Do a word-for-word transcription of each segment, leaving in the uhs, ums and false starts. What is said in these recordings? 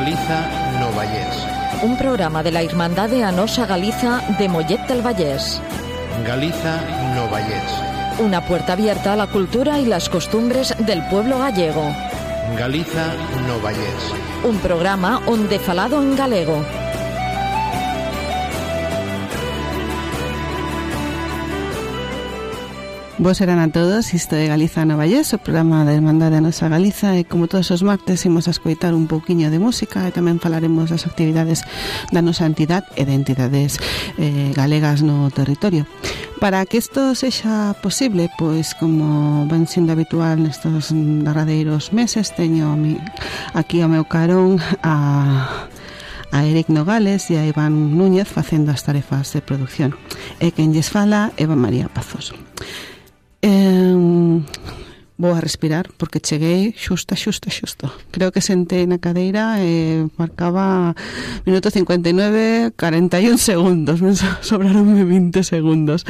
Galiza no Vallés. Un programa de la Irmandade A Nosa Galiza de Mollet del Vallés. Galiza no Vallés. Una puerta abierta a la cultura y las costumbres del pueblo gallego. Galiza no Vallés. Un programa onde falado en galego. Vos eran a todos, isto é Galiza no Vallés, o programa da Irmandade A Nosa Galiza, e como todos os martes imos a escoitar un pouquiño de música e tamén falaremos das actividades da nosa entidade e de entidades eh, galegas no territorio. Para que isto sexa posible, pois como ven sendo habitual nestes derradeiros meses, teño a mi, aquí ao meu carón a... a Eric Nogales e a Iván Núñez facendo as tarefas de producción. E quen lles fala, Eva María Pazos. Eh, vou a respirar porque cheguei xusta, xusta, xusto. Creo que sentei na cadeira e marcaba minuto cincuenta y nueve, cuarenta y un segundos. Me sobraronme vinte segundos.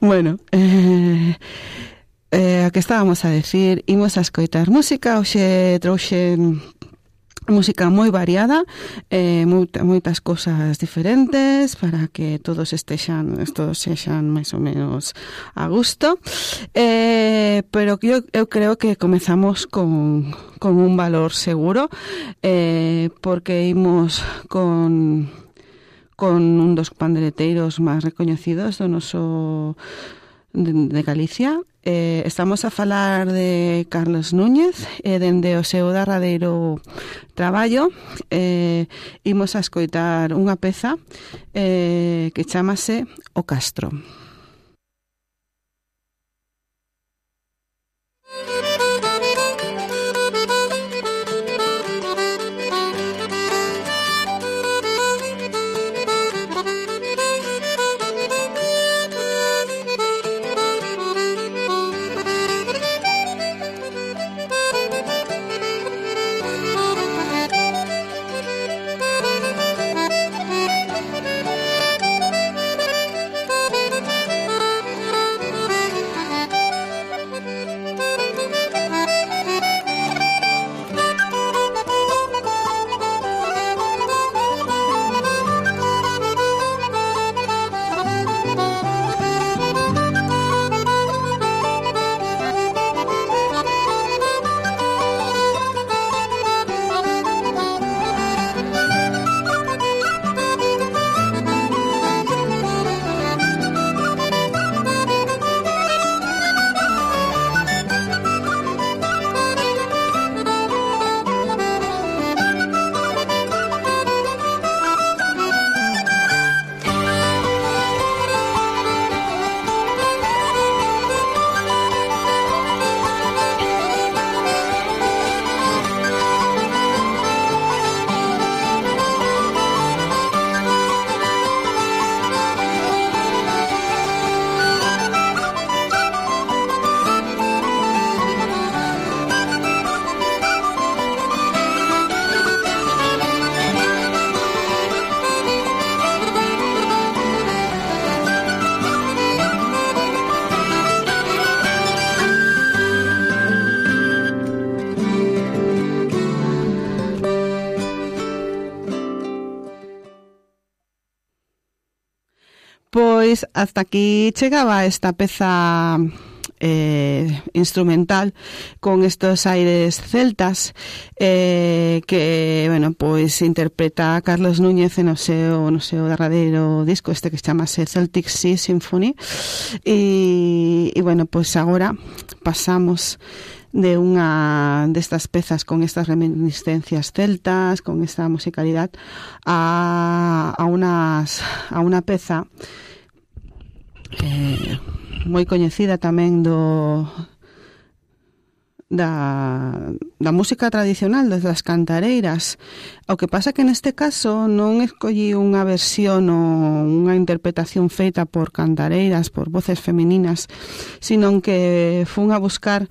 Bueno, eh, eh, a que estábamos a decir, imos a escoitar música. Hoxe trouxen música moi variada, eh, moita, moitas cosas diferentes para que todos estexan, todos sexan máis ou menos a gusto, eh, pero eu, eu creo que comezamos con, con un valor seguro, eh, porque imos con con un dos pandereteiros máis recoñecidos do noso de, de Galicia. Eh, estamos a falar de Carlos Núñez e eh, dende o seu derradeiro traballo eh, imos a escoitar unha peza eh, que chamase O Castro. Pois hasta aquí chegaba esta peza eh, instrumental con estos aires celtas eh, que, bueno, pois interpreta Carlos Núñez en o seu, no seu derradeiro disco este que chamase Celtic Sea Symphony e, e bueno, pois agora pasamos de unha destas pezas con estas reminiscencias celtas, con esta musicalidade a, a, unas, a unha peza eh, moi coñecida tamén do da, da música tradicional, das cantareiras. O que pasa que neste caso non escollí unha versión ou unha interpretación feita por cantareiras, por voces femininas, sino que fun a buscar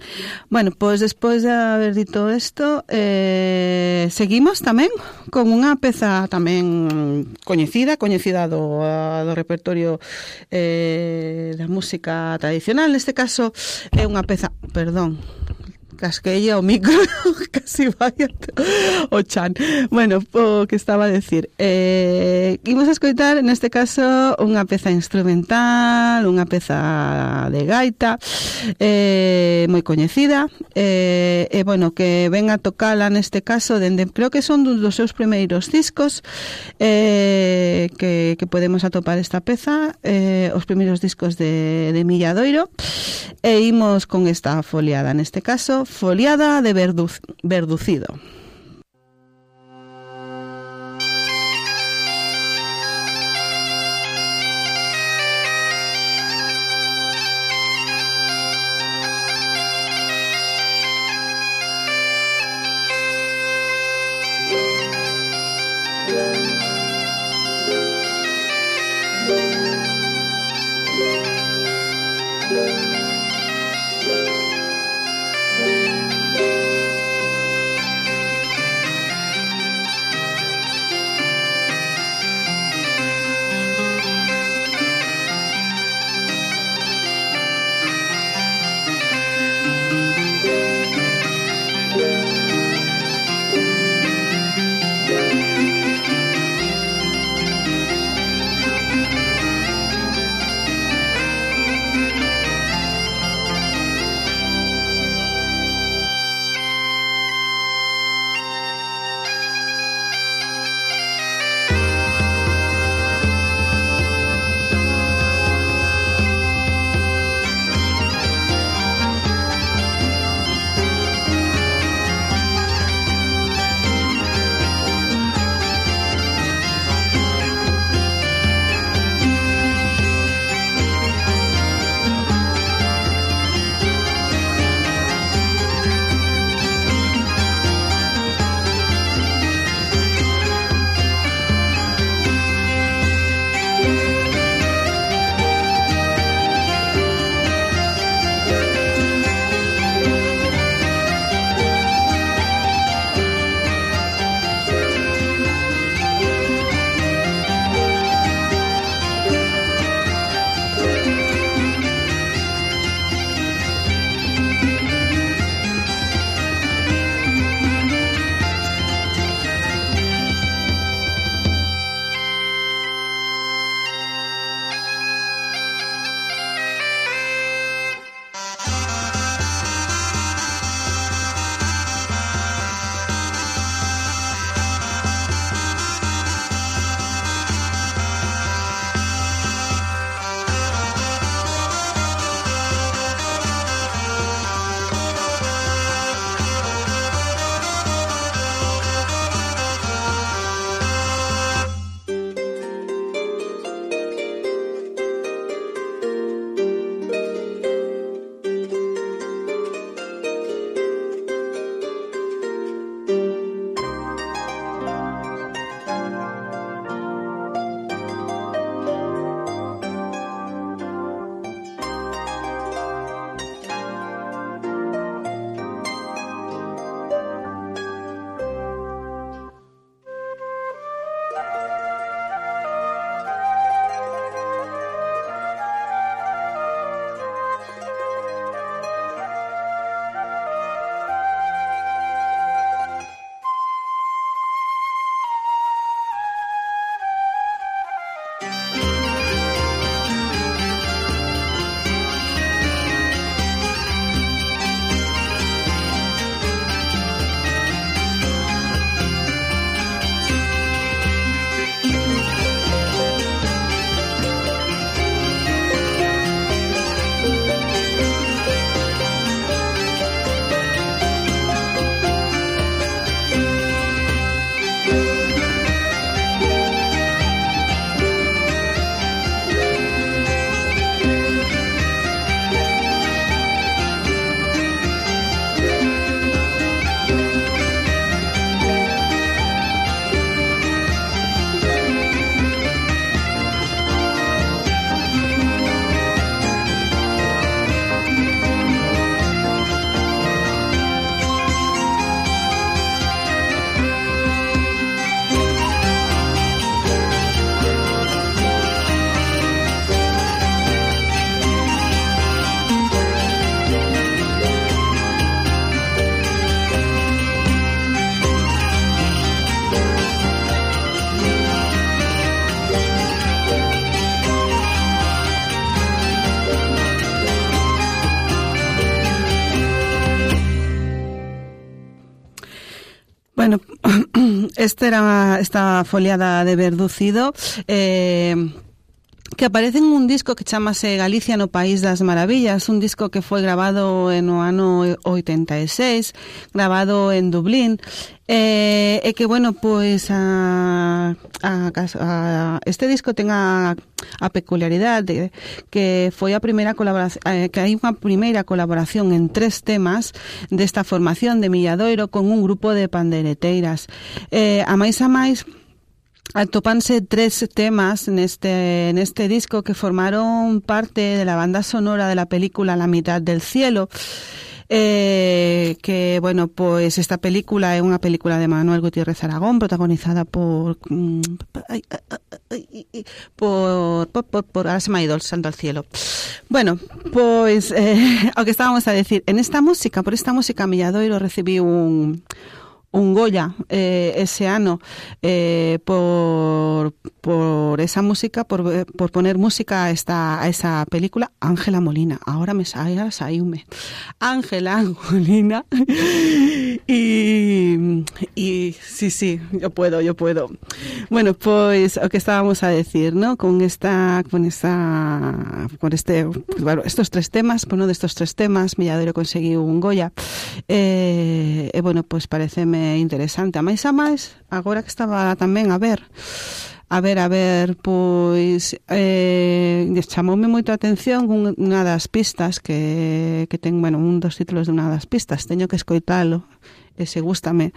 Bueno, pois despois de haber dito isto, eh, seguimos tamén con unha peza tamén coñecida, coñecida do, do repertorio eh, da música tradicional. Neste caso é unha peza, perdón, casqueilla o micro, casi vaya o chan. Bueno, o que estaba a decir, eh, imos a escoitar neste caso unha peza instrumental, unha peza de gaita, eh, moi coñecida, eh, e bueno, que ven a tocala neste caso dende, creo que son dos seus primeiros discos, eh, que, que podemos atopar esta peza, eh, os primeiros discos de, de Milladoiro, e imos con esta foliada, neste caso foliada de verduz, verducido. Esta era esta foliada de Verducido, eh, que aparece en un disco que chamase Galicia no País das Maravillas, un disco que foi grabado no ano oitenta e seis, grabado en Dublín, eh, e que, bueno, pois a, a, a, este disco ten a, a peculiaridade de que foi a primeira colaboración, eh, que hai unha primeira colaboración en tres temas desta formación de Milladoiro con un grupo de pandeireteiras. Eh, a máis a máis, atopanse tres temas neste neste disco que formaron parte de la banda sonora de la película La mitad del cielo, eh, que, bueno, pues esta película é unha película de Manuel Gutiérrez Aragón, protagonizada por por por, por, por ahora se me ha ido el santo al cielo. Bueno, pues eh, o que estábamos a decir, en esta música, por esta música Milladoiro recibiu un un Goya eh, ese ano eh, por por esa música, por, por poner música a esta a esa película. Ángela Molina, ahora me sale, ahora saíume Ángela Molina y y sí, sí, yo puedo, yo puedo. Bueno, pues o que estábamos a decir, ¿no? Con esta con esta con este pues, bueno, estos tres temas, por uno de estos tres temas Milladoiro conseguiu un Goya. Eh, e bueno, pues pareceme interesante. A máis a máis, agora que estaba tamén a ver a ver, a ver, pois eh, chamoume moito a atención unha das pistas que, que ten, bueno, un dos títulos de unha das pistas, teño que escoitalo, e se gústame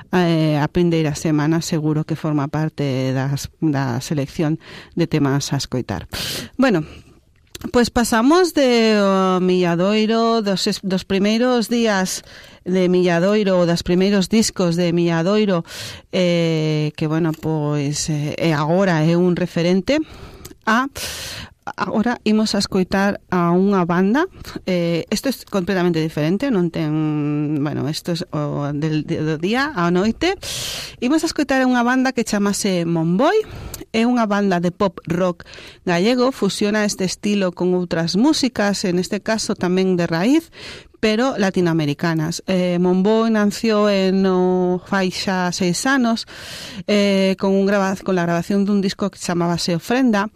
eh, a prindeira semana seguro que forma parte das, da selección de temas a escoitar. Bueno, pois pasamos de uh, Milladoiro, dos, dos primeiros días de Milladoiro, ou dos primeiros discos de Milladoiro, eh, que, bueno, pois eh, agora é un referente, a agora imos a escoitar a unha banda. Eh, isto é completamente diferente, non ten, bueno, isto é o del, do día á noite. Imos a escoitar a unha banda que chamase Monboi. É unha banda de pop rock gallego, fusiona este estilo con outras músicas, en este caso tamén de raíz, pero latinoamericanas. Eh, Monboi nació en no fai xa seis anos, eh, con, un graba, con la grabación dun disco que chamábase Ofrenda,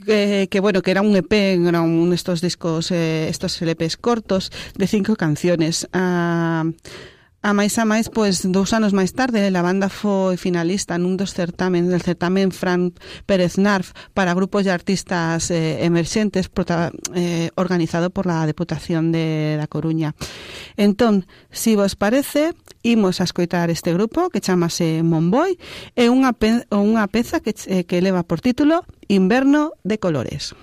Que, que bueno, que era un E P, era un estos discos, eh, estos L Pes cortos de cinco canciones. Ah, a máis a máis, pois, dous anos máis tarde, a banda foi finalista nun dos certamen, del certamen Fran Pérez Narf para grupos de artistas eh, emerxentes, prota, eh, organizado por la Deputación de da Coruña. Entón, si vos parece, imos a escoitar este grupo que chamase Monboi, e unha, pe, unha peza que, eh, que leva por título Inverno de colores.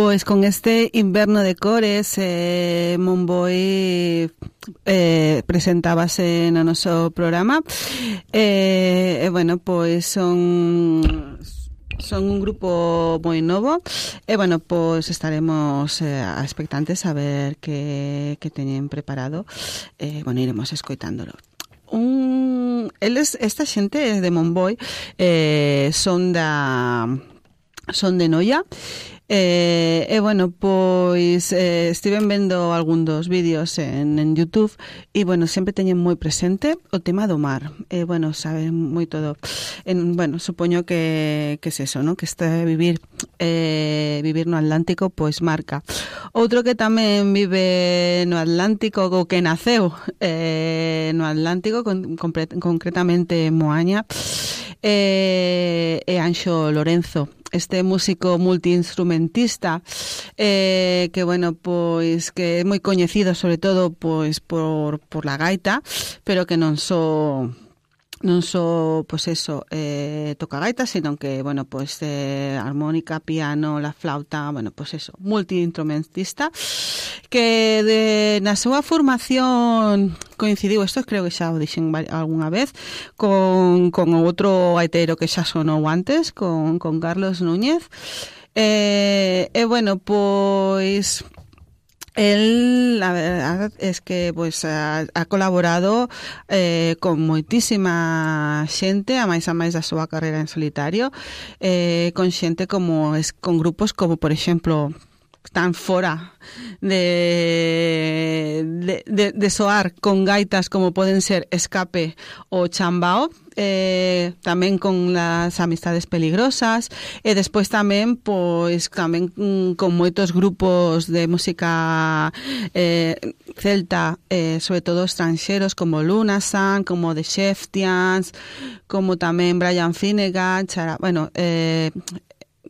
Pois con este inverno de cores eh, Monboi eh, presentábase no noso programa e eh, bueno, pois son son un grupo moi novo e bueno, pois estaremos eh, expectantes a ver que, que teñen preparado e eh, bueno, iremos escoitándolo. Un, eles, esta xente de Monboi eh, son da son de Noia. E, eh, eh, bueno, pois eh, estiven vendo algún dos vídeos en, en YouTube e, bueno, sempre teñen moi presente o tema do mar. E, eh, bueno, saben moi todo. En, bueno, supoño que, que es eso, ¿no? Que este vivir eh, vivir no Atlántico, pois marca. Outro que tamén vive no Atlántico, o que naceu eh, no Atlántico, con, concretamente en Moaña, eh, é Anxo Lorenzo. Este músico multiinstrumentista eh, que, bueno, pois que é moi coñecido sobre todo pois por, por la gaita, pero que non só non só, pois eso, eh, toca gaita, sino que, bueno, pois eh, armónica, piano, la flauta, bueno, pois eso, multiinstrumentista, que de, na súa formación coincidiu, isto creo que xa o dixen algunha vez, con, con outro gaitero que xa sonou antes, con, con Carlos Núñez, e, eh, eh, bueno, pois el, la verdad es que pues ha, ha colaborado eh, con moitísima xente, a máis a máis da súa carreira en solitario, eh, con xente como es, con grupos como, por exemplo, tan fora de, de, de, de soar con gaitas como poden ser Escape o Chambao, eh, tamén con las Amistades Peligrosas, e despois tamén pois tamén mm, con moitos grupos de música eh, celta, eh, sobre todo estranxeros como Lunasan, como The Sheftians, como tamén Brian Finnegan, Chara, bueno, eh,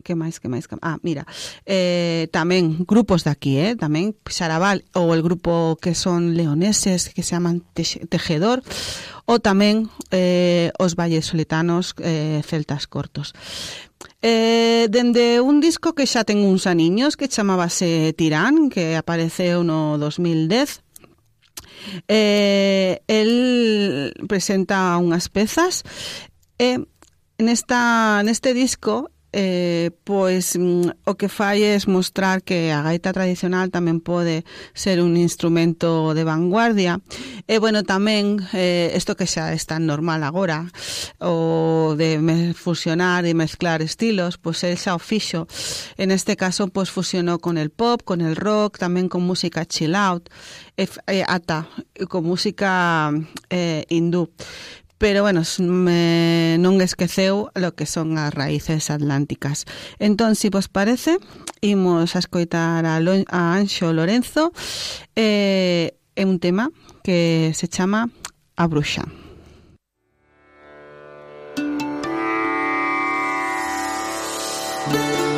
que máis, que máis, que... ah, mira, eh, tamén grupos de aquí, eh, tamén Xaraval, ou el grupo que son leoneses, que se llaman Tejedor, ou tamén eh, os valles solitanos, eh, celtas cortos. Eh, dende un disco que xa ten uns aniños, que chamábase Tirán, que apareceu no dos mil dez, eh, el presenta unhas pezas, e eh, nesta, neste disco Eh, pois mm, o que fai é mostrar que a gaita tradicional tamén pode ser un instrumento de vanguardia e, bueno, tamén eh, isto que xa é tan normal agora, o de fusionar e mezclar estilos, pois el xa o fixo. En este caso, pois fusionou con el pop, con el rock, tamén con música chill out e, e ata con música eh, hindú. Pero, bueno, me, non esqueceu lo que son as raíces atlánticas. Entón, si vos parece, imos a escoitar a, Lo, a Anxo Lorenzo eh, é un tema que se chama A Bruxa. Thank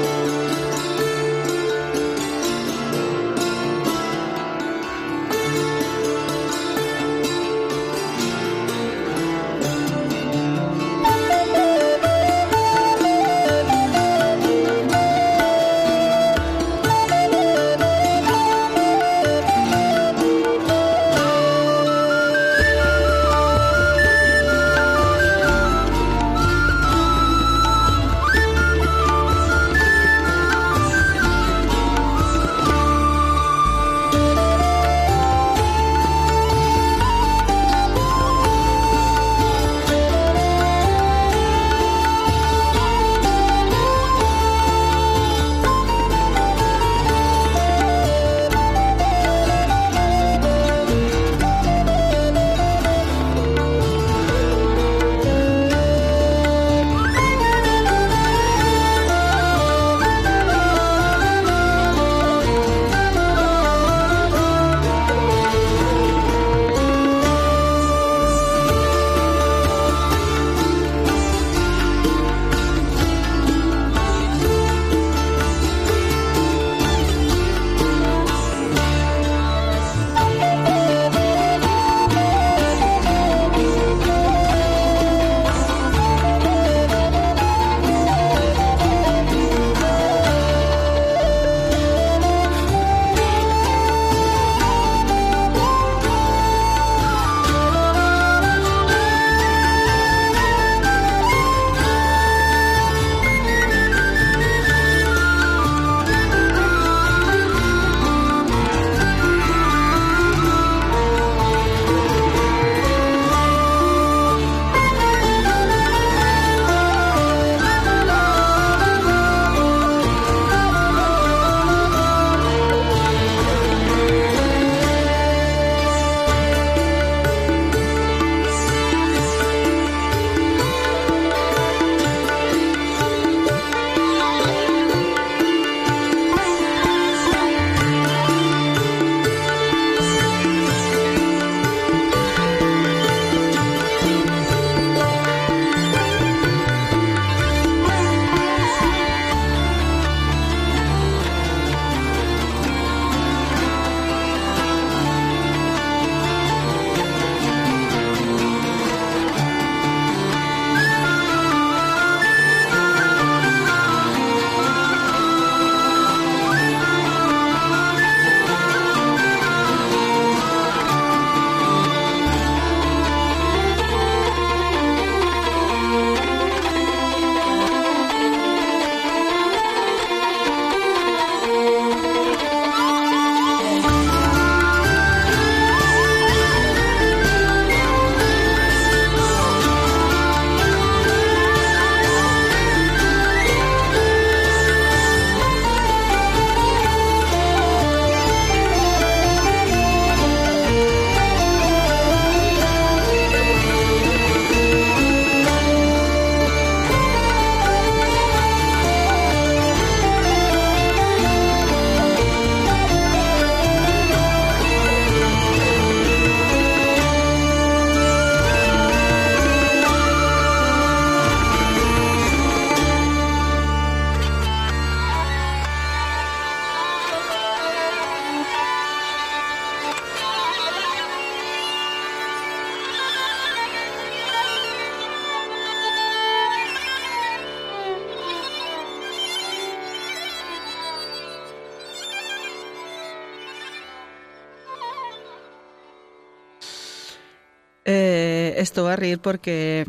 Eh, estou a rir porque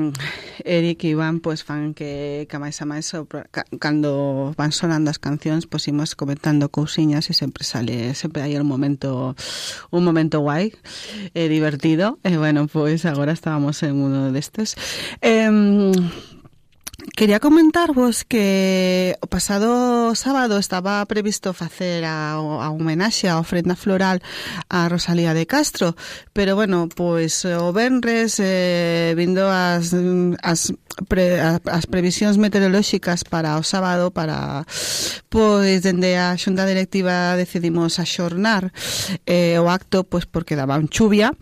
Eric e Iván pues, fan que, que máis a máis cando van sonando as cancións pois imos comentando cousiñas e sempre sale, sempre hai un momento un momento guai e divertido e bueno, pois agora estábamos en uno destes. Eh, Quería comentarvos que o pasado sábado estaba previsto facer a, a homenaxe a ofrenda floral a Rosalía de Castro, pero bueno, pois o venres eh, vindo as, as, pre, as previsións meteorolóxicas para o sábado, para pois dende a xunta directiva decidimos axornar eh, o acto pois porque daban chuvia,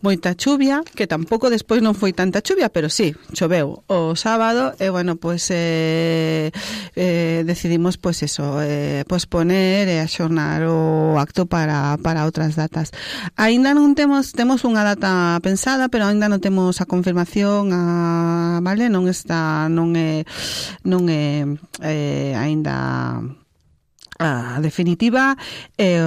moita chuvia, que tampouco despois non foi tanta chuvia, pero sí, choveu o sábado e bueno, pues eh, eh, decidimos pues eso, eh, posponer e axornar o acto para, para outras datas. Aínda non temos temos unha data pensada, pero aínda non temos a confirmación, a, vale, non está non é non é eh, aínda a definitiva, eh,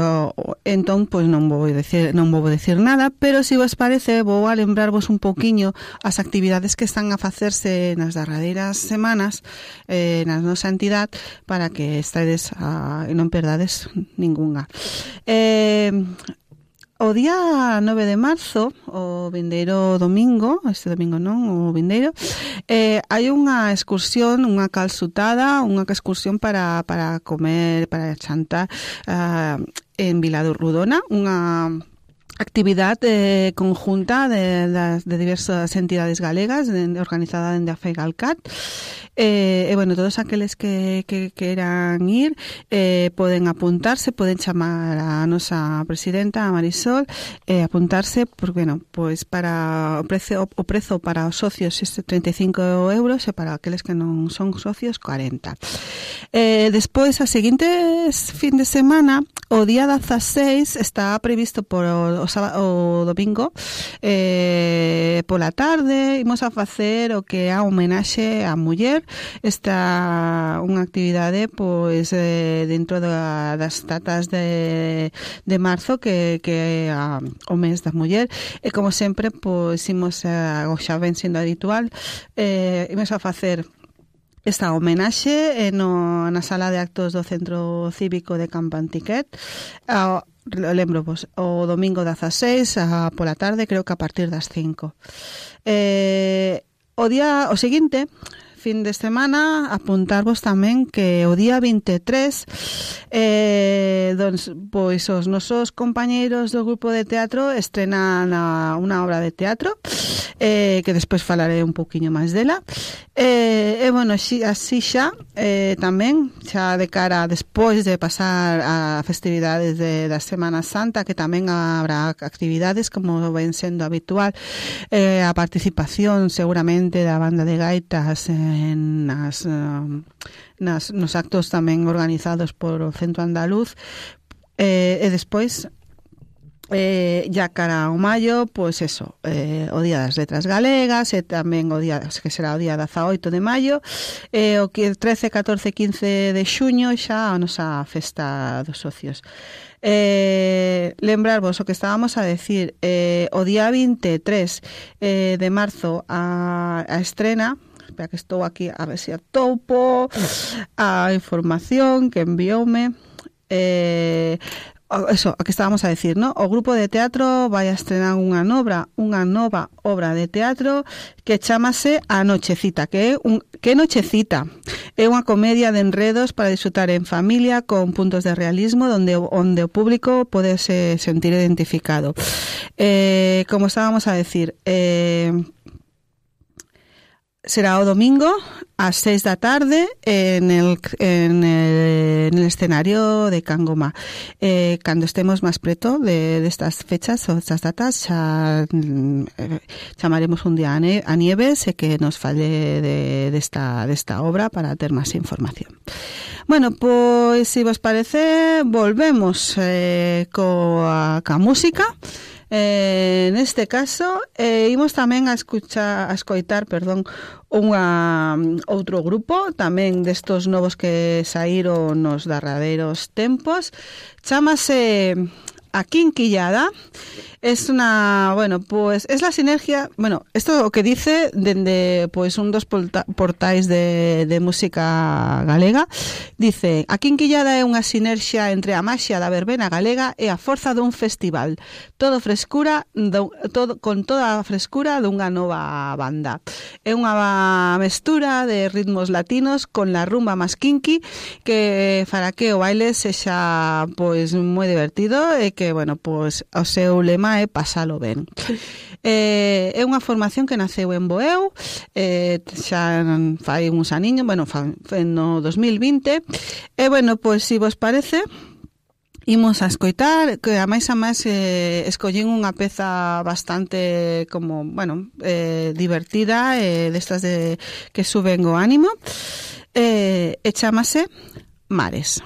entón pois non vou decir non vou decir nada, pero se si vos parece vou a lembrarvos un pouquiño as actividades que están a facerse nas derradeiras semanas eh, na nosa entidade para que estades a, e non perdades ningunha. Eh, O día nove de marzo, o vindeiro domingo, este domingo non, o vindeiro, eh, hai unha excursión, unha calzutada, unha excursión para, para comer, para chantar uh, en Viladurrudona, unha actividade eh, conjunta de, de, de diversas entidades galegas, de, de, organizada dende a FEGALCAT. E, eh, bueno, todos aqueles que, que queran ir eh, poden apuntarse, poden chamar a nosa presidenta, a Marisol, e eh, apuntarse, porque, bueno, pois para o prezo, o prezo para os socios este treinta e cinco euros e para aqueles que non son socios cuarenta. Eh, despois, a seguintes fin de semana, o día dezaseis está previsto por o, o, o domingo eh, pola tarde imos a facer o que é a homenaxe á muller. Esta unha actividade pois eh, dentro da, das datas de, de marzo que, que é a, o mes da muller e como sempre pois imos a, o xa ven sendo habitual eh, imos a facer esta homenaxe eh, no, na sala de actos do Centro Cívico de Campo Antiquet. Uh, lembro vos, o domingo dezaseis a, pola tarde, creo que a partir das cinco. Eh, o día o seguinte, fin de semana, apuntarvos tamén que o día vinte e tres eh, doncs, pois os nosos compañeiros do grupo de teatro estrenan a, unha obra de teatro eh, que despois falaré un pouquiño máis dela e, eh, bueno, así, así xa eh, tamén, xa de cara despois de pasar a festividades de, da Semana Santa, que tamén habrá actividades como ven sendo habitual, eh, a participación seguramente da banda de gaitas eh, en nas, uh, nas, nos actos tamén organizados por o Centro Andaluz eh, e despois eh, ya cara ao maio pois eso, eh, o Día das Letras Galegas e tamén o día que será o día dezaoito de maio e o que trece, catorce, quince de xuño xa a nosa festa dos socios. Eh, lembrarvos o que estábamos a decir, eh, o día vinte e tres eh, de marzo a, a estrena. Espera que estou aquí a ver se atopo a información que envioume. Eh, eso, a que estábamos a decir, ¿no? O grupo de teatro vai a estrenar unha nova, unha nova obra de teatro que chamase A Nochecita, que é un que Nochecita. É unha comedia de enredos para disfrutar en familia con puntos de realismo donde onde o público pode se sentir identificado. Eh, como estábamos a decir, eh será o domingo ás seis da tarde en el, en el, en el escenario de Cangoma. Eh, cando estemos máis preto de, de estas fechas ou estas datas xa eh, chamaremos un día a, ne, a Nieves e que nos fale de, de, esta, de esta obra para ter máis información. Bueno, pois se vos parece volvemos eh, coa, coa música. Eh, neste caso, eh, imos tamén a escuchar, a escoitar, perdón, unha outro grupo, tamén destos novos que saíron nos derradeiros tempos. Chámase a Quinquillada. Es una, bueno, pues es la sinergia, bueno, esto lo que dice dende pues un dos portais de, de música galega, dice, a Quinquillada é unha sinerxia entre a maxia da verbena galega e a forza dun festival, todo frescura, do, todo, con toda a frescura dunha nova banda. É unha mestura de ritmos latinos con la rumba más kinky que fará que o baile sexa pois moi divertido e que, bueno, pois o seu lema é pasalo ben. Eh, é unha formación que naceu en Boeu, eh, xa fai uns aniños, bueno, fa, no dos mil vinte, e, bueno, pois, se vos parece, imos a escoitar, que a máis a máis eh, escollín unha peza bastante, como, bueno, eh, divertida, eh, destas de que suben o ánimo, eh, e chámase Mares.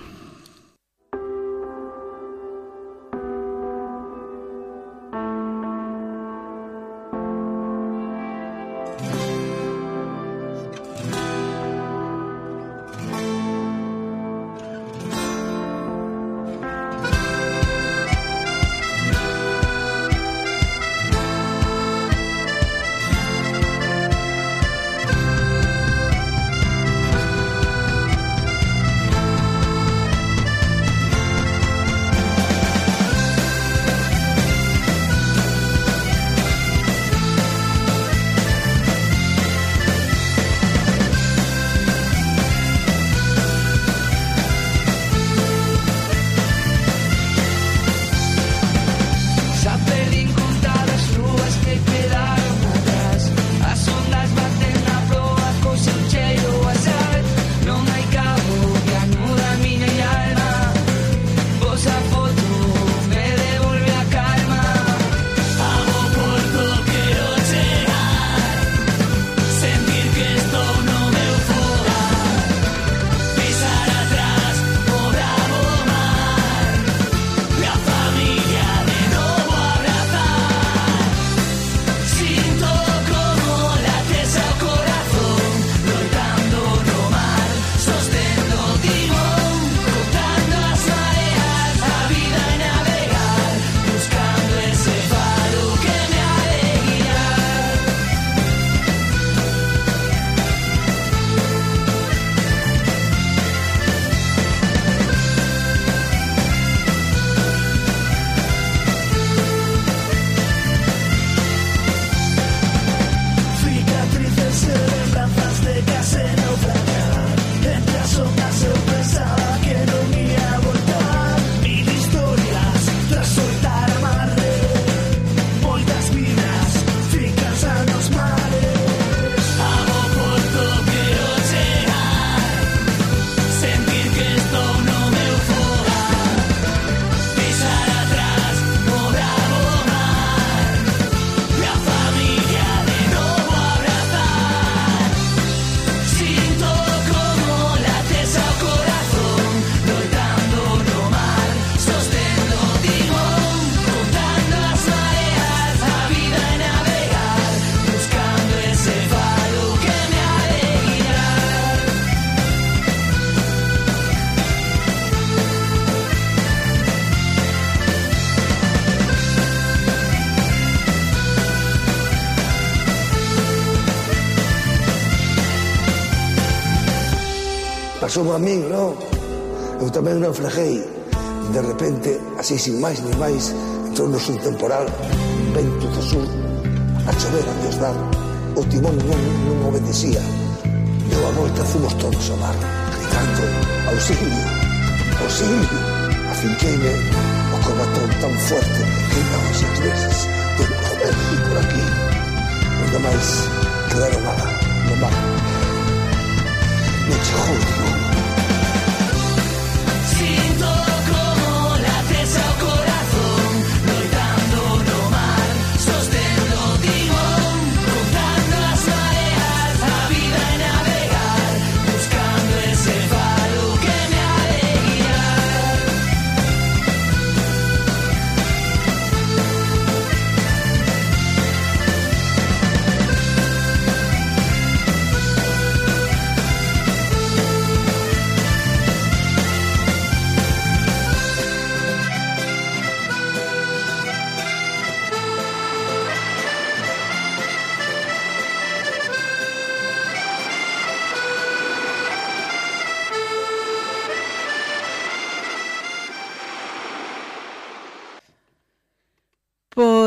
Pasou a min, non? Eu tamén naufraguei. De repente, así sin máis ni máis, entrou-nos un temporal, vento do sur, a chover a Dios dar. O timón non, non obedecía. Deu a volta, fomos todos ao mar, gritando, auxilio, auxilio. Afinqueime o corbatón tan fuerte que daba seis veces. Deu joder, por aquí. Nunca máis quedaron nada, no mar. Me chegou o timón. Siento como lates ao corazón, loitando no mar, sostendo o timón, contando as mareas, a vida é navegar, buscando ese faro que me ha de guiar.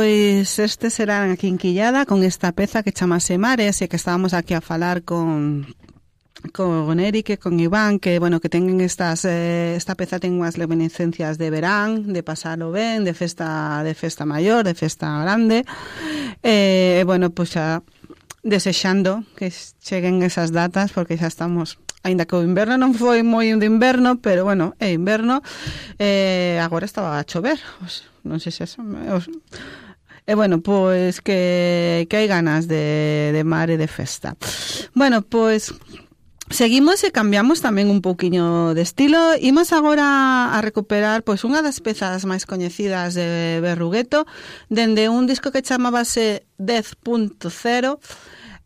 pois este será aquí en Quillada con esta peza que chamase Mares, e que estábamos aquí a falar con con Eric e con Iván, que bueno, que tengan estas eh, esta peza ten unhas reminiscencias de verán, de pasalo ben, de festa de festa maior, de festa grande. Eh, bueno, pois xa desexando que cheguen esas datas, porque xa estamos, aínda que o inverno non foi moi de inverno, pero bueno, é inverno. Eh, agora estaba a chover, os, non sei se eso os, e bueno, pois que, que hai ganas de, de mar e de festa. Bueno, pois seguimos e cambiamos tamén un pouquiño de estilo. Imos agora a recuperar pois unha das pezas máis coñecidas de Berrugueto, dende un disco que chamábase dez punto cero,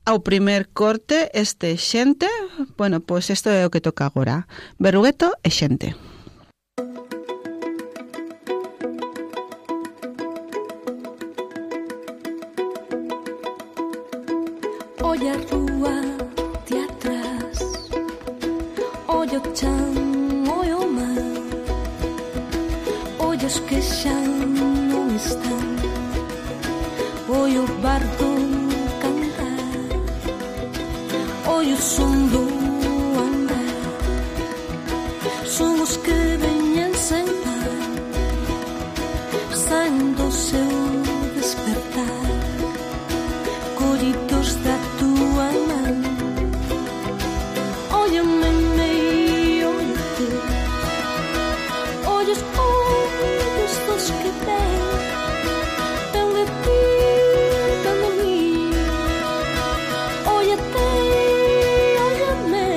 ao primer corte, este Xente. Bueno, pois isto é o que toca agora. Berrugueto e Xente. Olla a rúa de atrás, olla o chan, olla o mar, olla os que xa non están, olla o bardo cantar, olla o son do andar, son os que veñen sen par, saen do seu despertar, collidos da tua man. Óllame meio, óllate, ollos ollos dos que ven, ven de ti, ven de mí. Óllate, óllame.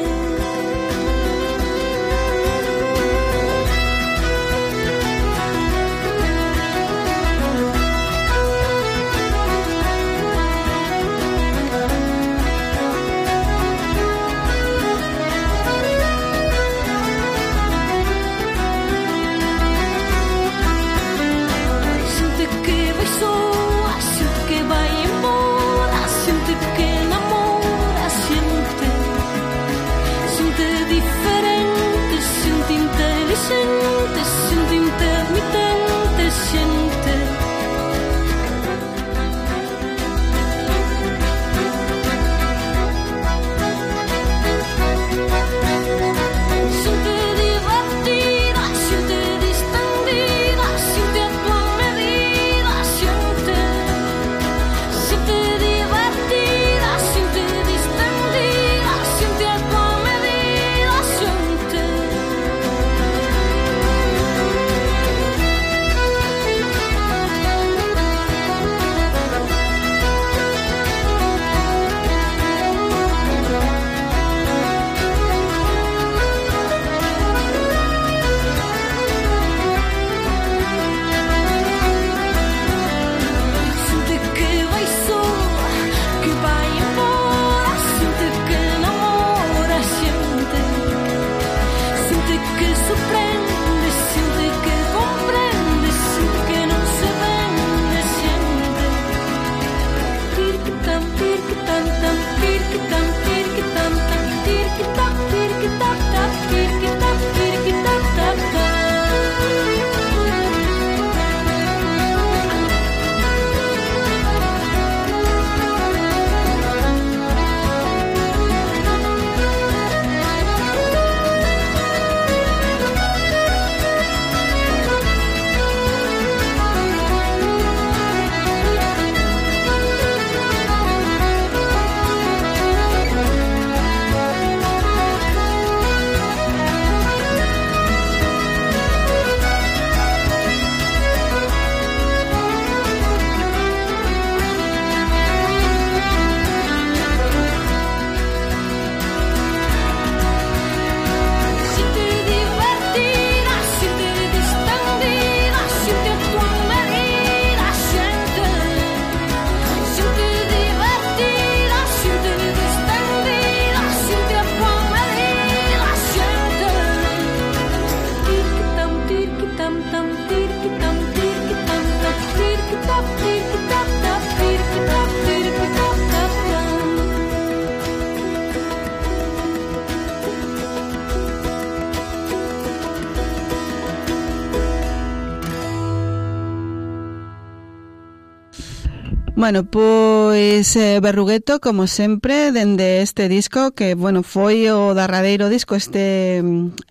Bueno, pois eh, Berrugueto, como sempre, dende este disco que, bueno, foi o darradeiro disco este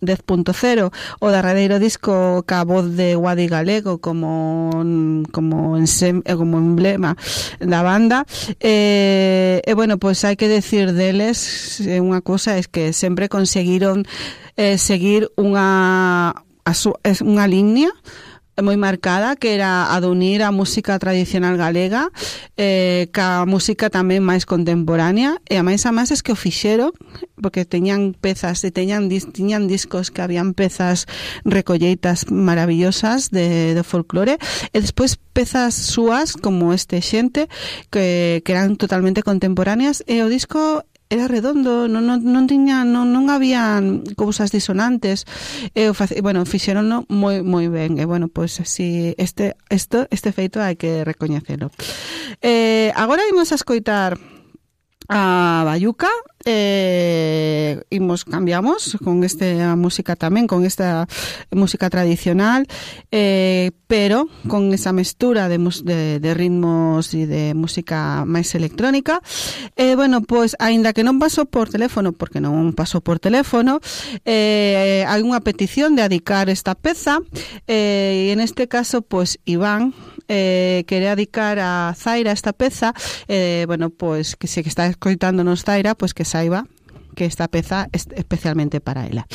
dez punto cero, o darradeiro disco ca voz de Guadi Galego como como, ensem, como emblema da banda. E, eh, eh, bueno, pois hai que decir deles, eh, unha cosa é que sempre conseguiron eh, seguir unha, a su, unha línea moi marcada, que era a de unir a música tradicional galega eh, ca música tamén máis contemporánea, e a máis a máis es que o fixeron porque teñan pezas e teñan, tiñan discos que habían pezas recolleitas maravillosas de, de folclore, e despois pezas súas como este Xente que, que eran totalmente contemporáneas, e o disco era redondo, non, non, non tiña non, non había cousas disonantes, e o face, bueno, fixeronno moi moi ben, e bueno, pois pues, si este esto este feito hai que recoñecelo. Eh, agora imos a escoitar a Bayuca, eh, imos cambiamos con esta música tamén, con esta música tradicional, eh, pero con esa mestura de, de, de ritmos e de música máis electrónica. Eh, bueno, pois, aínda que non pasou por teléfono, porque non pasou por teléfono, eh, hai unha petición de adicar esta peza, eh, e en este caso, pois, Iván eh, quere adicar a Zaira esta peza, eh, bueno, pois, que se que está escoitándonos Zaira, pois que saiba que esta peza é especialmente para ela.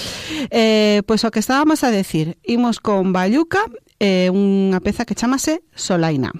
Eh, pois o que estábamos a decir, imos con Bayuca, eh, unha peza que chamase Solaina.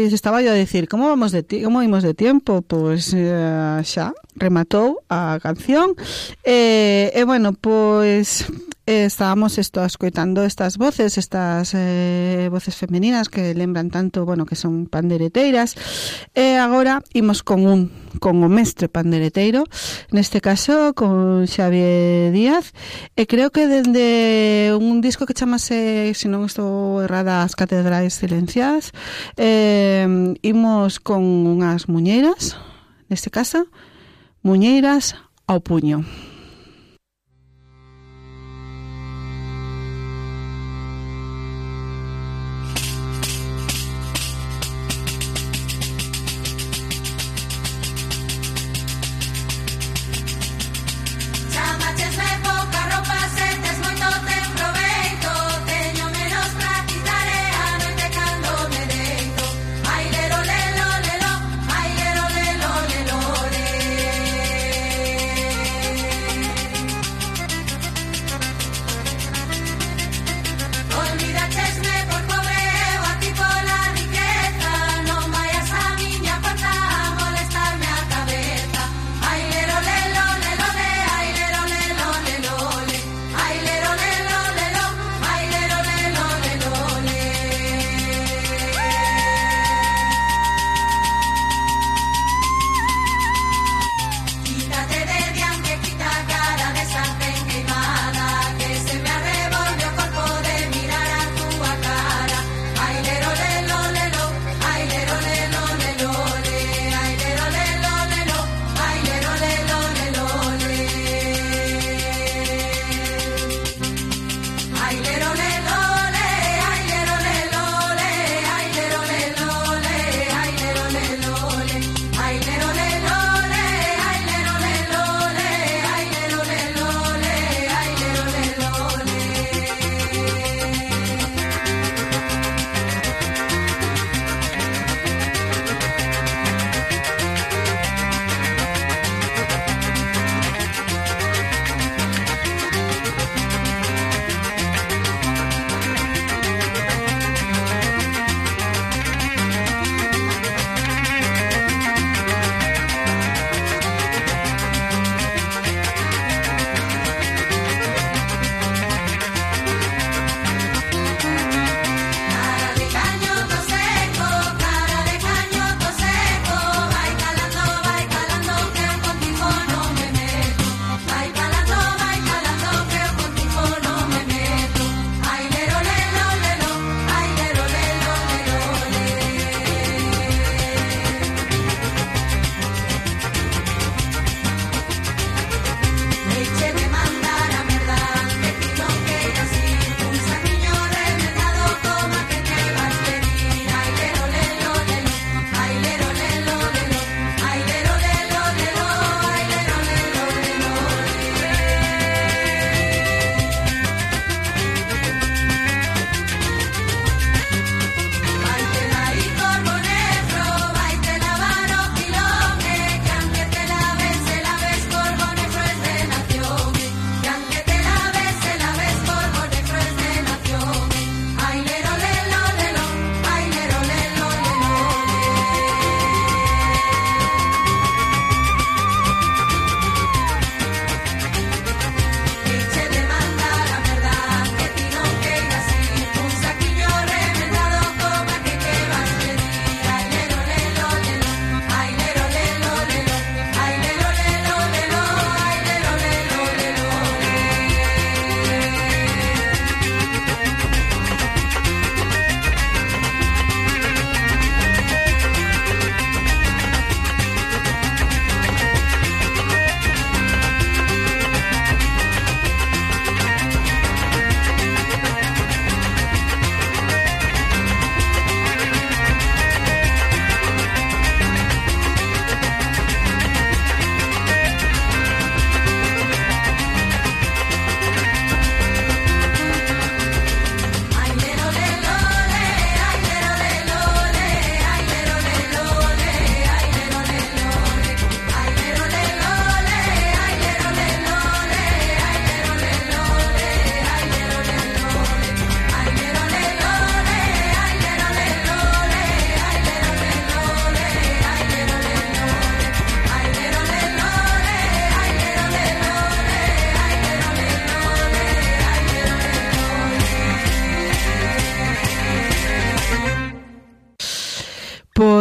pois estaba yo a decir, como vamos de ti, como imos de tiempo? Pois eh, xa rematou a canción. E, eh, eh, bueno, pois eh, estábamos esto escoitando estas voces, estas eh, voces femeninas que lembran tanto, bueno, que son pandereteiras. E agora imos con un con o mestre pandereteiro, neste caso con Xavier Díaz, e creo que dende un disco que chamase, se non estou errada, As Catedrais Silenciadas, eh, imos con unhas muñeiras, neste caso, muñeiras ao puño. Ai, lero, lelo, lelo, le.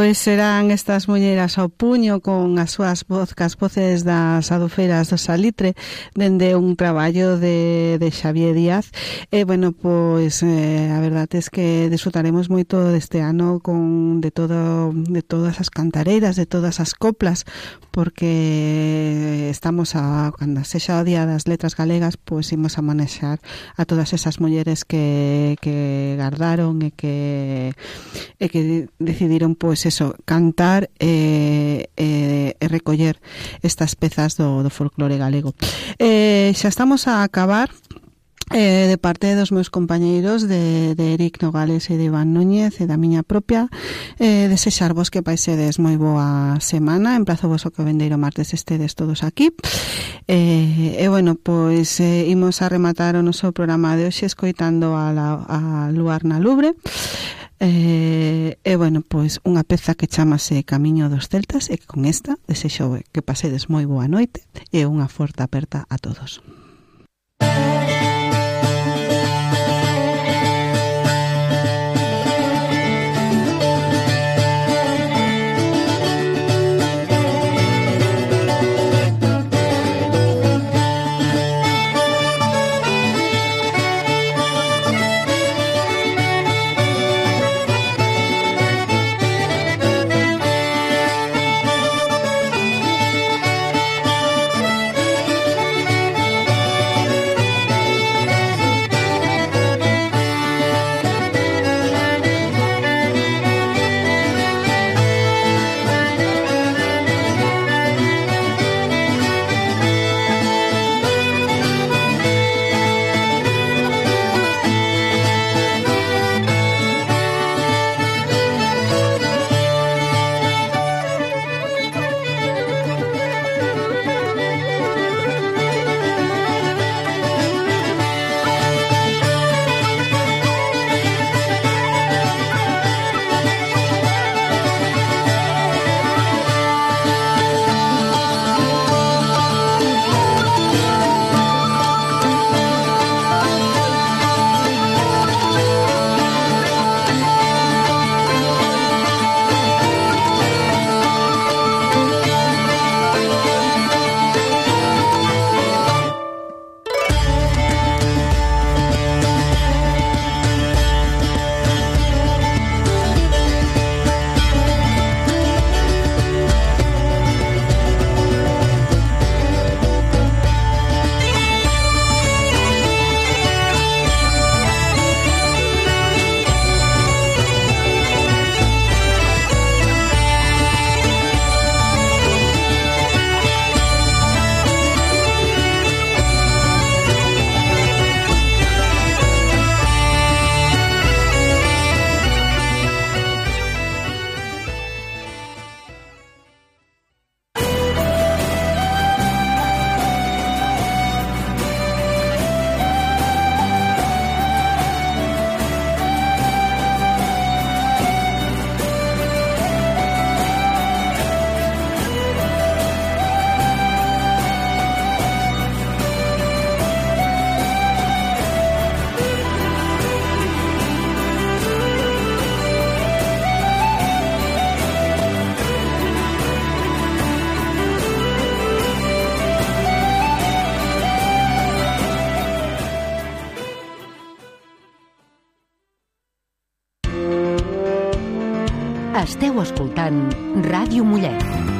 pois serán estas mulleras ao puño con as súas vozcas, voces das adufeiras do Salitre, dende un traballo de, de Xavier Díaz. E, bueno, pois eh, a verdade é que disfrutaremos moito deste ano con de todo de todas as cantareiras, de todas as coplas, porque estamos a, cando sexa o Día das Letras Galegas, pois imos a manexar a todas esas mulleres que, que gardaron e que e que decidiron, pois eso, cantar e, e, e recoller estas pezas do, do folclore galego. Eh, xa estamos a acabar. Eh, de parte dos meus compañeiros de, de Eric Nogales e de Iván Núñez e da miña propia, eh, desexarvos que paisedes moi boa semana. Emplazo vos o que vendeiro martes estedes todos aquí. Eh, e bueno, pois eh, imos a rematar o noso programa de hoxe escoitando a, la, a Luar na Lubre. Eh, e bueno, pois unha peza que chamase Camiño dos Celtas, e que con esta desexo que pasedes moi boa noite e unha forte aperta a todos. Esteu escoltant Ràdio Mollet.